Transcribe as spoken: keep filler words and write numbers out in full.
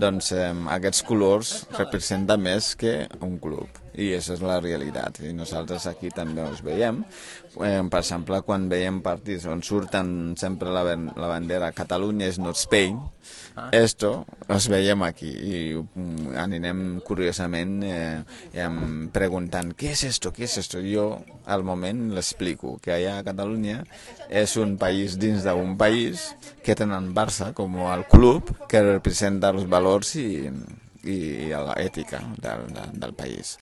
doncs eh, aquests colors representen més que un club. I això és la realitat. I nosaltres aquí també els veiem. Eh, per exemple, quan veiem partits on surten sempre la, la bandera Catalunya is not Spain, ah. esto els veiem aquí i um, anirem curiosament eh, eh, preguntant què és esto, què és esto. Jo al moment l'explico, que allà a Catalunya és un país dins d'un país que tenen Barça com el club que representa els valors i i l'ètica del, del país.